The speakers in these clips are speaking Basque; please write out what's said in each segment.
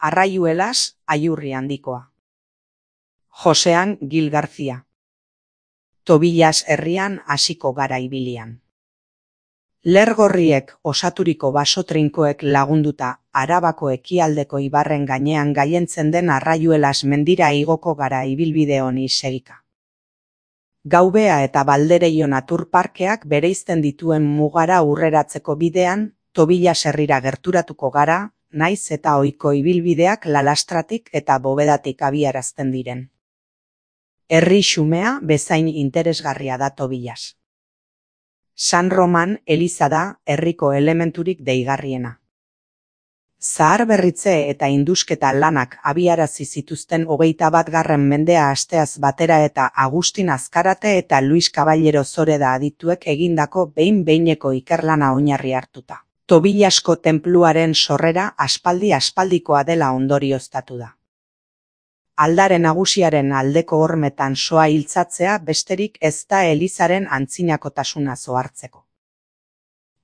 Arraiuelas, Aiurri handikoa. Josean Gil García. Tobillas herrian hasiko gara ibilian. Lergorriek osaturiko baso trinkoek lagunduta Arabako ekialdeko ibarren gainean gailentzen den Arraiuelas mendira igoko gara ibilbide honi segika. Gaubea eta Baldereio naturparkeak bereizten dituen mugara hurreratzeko bidean, Tobillas herrira gerturatuko gara, naiz eta ohiko ibilbideak Lalastratik eta Bovedatik abiarazten diren. Herri xumea bezain interesgarria da Tobillas. San Roman eliza da herriko elementurik deigarriena. Zaharberritze eta indusketa lanak abiarazi zituzten 21. mendea hasteaz batera eta Agustin Azkarate eta Luis Caballero Zoreda adituek egindako behin-behineko ikerlana oinarri hartuta. Tobillasko tenpluaren sorrera aspaldikoa dela ondorioztatu da. Aldare nagusiaren aldeko hormetan soa hiltzatzea besterik ez da elizaren antzinakotasuna zohartzeko.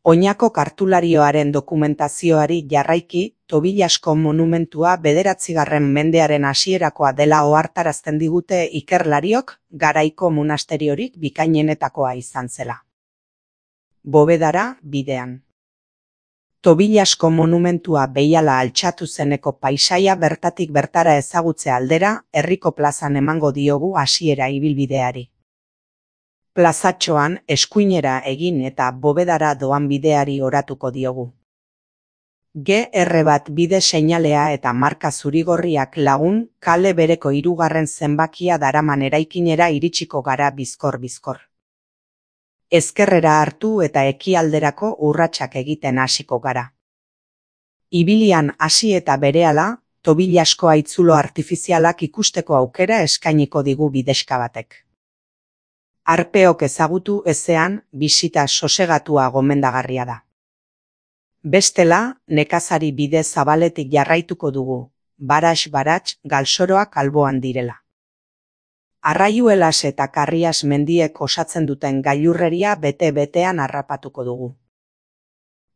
Oinako kartularioaren dokumentazioari jarraiki, Tobillasko monumentua 9. mendearen hasierakoa dela ohartarazten digute ikerlariok, garaiko monasteriorik bikainenetakoa izan zela. Bovedara bidean. Tobillasko monumentua behiala altxatu zeneko paisaia bertatik bertara ezagutze aldera, herriko plazan emango diogu hasiera ibilbideari. Plazatxoan eskuinera egin eta Bovedara doan bideari oratuko diogu. GR bat bide seinalea eta marka zurigorriak lagun, kale bereko 3. zenbakia daraman eraikinera iritsiko gara bizkor-bizkor. Ezkerrera hartu eta ekialderako urratsak egiten hasiko gara. Ibilian hasi eta berehala, Tobillasko haitzulo artifizialak ikusteko aukera eskainiko digu bidexka batek. Arpeok ezagutu ezean, bisita sosegatua gomendagarria da. Bestela, nekazari bide zabaletik jarraituko dugu, baratx galsoroak alboan direla. Arraiuelas eta Karrias mendiek osatzen duten gailurreria bete-betean harrapatuko dugu.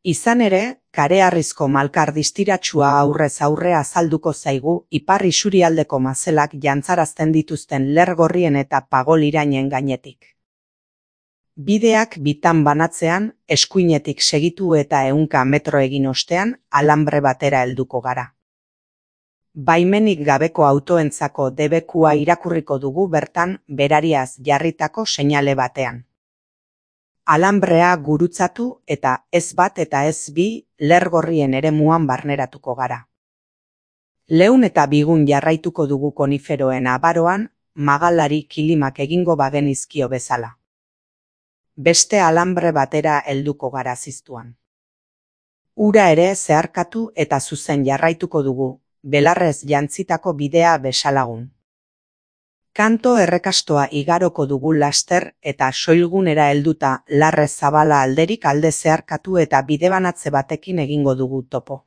Izan ere, kareharrizko malkar distiratsua aurrez aurre azalduko zaigu ipar isurialdeko mazelak jantzarazten dituzten lergorrien eta pagolirainen gainetik. Bideak bitan banatzean, eskuinetik segitu eta 100 metro egin ostean, alambre batera helduko gara. Baimenik gabeko autoentzako debekua irakurriko dugu bertan berariaz jarritako seinale batean. Alambrea gurutzatu eta ez bat eta ez bi lergorrien eremuan barneratuko gara. Leun eta bigun jarraituko dugu koniferoen abaroan, magalari kilimak egingo bagenizkio bezala. Beste alambre batera helduko gara ziztuan. Ura ere zeharkatu eta zuzen jarraituko dugu, belarrez jantzitako bidea besalagun. Kanto errekastoa igaroko dugu laster eta soilgunera helduta larrez zabala alderik alde zeharkatu eta bidebanatze batekin egingo dugu topo.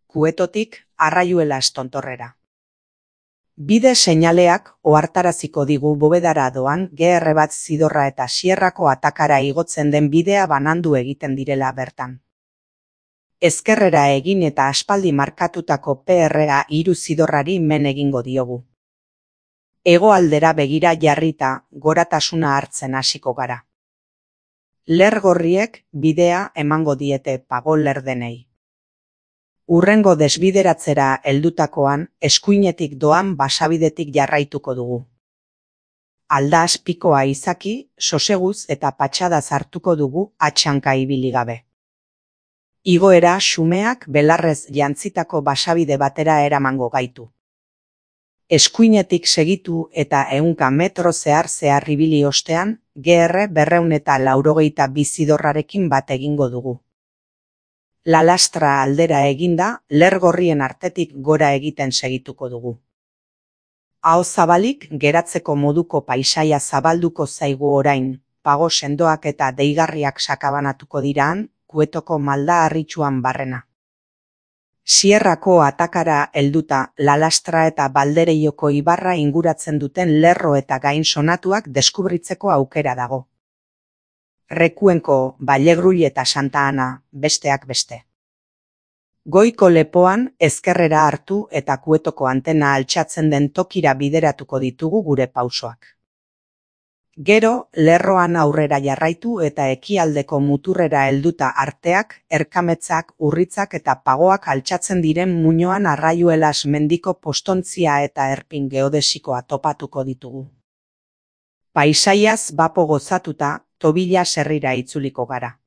Kuetotik Arraiuelas tontorrera. Bide seinaleak ohartaraziko digu Bovedara doan GR bat Zidorra eta Sierrako atakara igotzen den bidea banandu egiten direla bertan. Ezkerrera egin eta aspaldi markatutako PRA 3 Zidorrari men egingo diogu. Hegoaldera begira jarrita goratasuna hartzen hasiko gara. Lergorriek bidea emango diete pagolerdenei. Urrengo desbideratzera heldutakoan eskuinetik doan basabidetik jarraituko dugu. Aldaz pikoa izaki, soseguz eta patxadaz hartuko dugu atxanka ibili gabe. Igoera xumeak belarrez jantzitako basabide batera eramango gaitu. Eskuinetik segitu eta 100 metro zehar ibili ostean, GR 282 Zidorrarekin bat egingo dugu. Lalastra aldera eginda, lergorrien artetik gora egiten segituko dugu. Aho zabalik geratzeko moduko paisaia zabalduko zaigu orain, pago sendoak eta deigarriak sakabanatuko diraan, Kuetoko malda harritsuan barrena. Sierrako atakara helduta Lalastra eta Baldereioko ibarra inguratzen duten lerro eta gain sonatuak deskubritzeko aukera dago. Rekuenko, Vallegrull eta Santa Ana, besteak beste. Goiko lepoan ezkerrera hartu eta Kuetoko antena altxatzen den tokira bideratuko ditugu gure pausoak. Gero, lerroan aurrera jarraitu eta ekialdeko muturrera helduta arteak, erkametzak, urritzak eta pagoak altxatzen diren muinoan Arraiuelas mendiko postontzia eta erpin geodesikoa topatuko ditugu. Paisaiaz bapo gozatuta, Tobilla herrira itzuliko gara.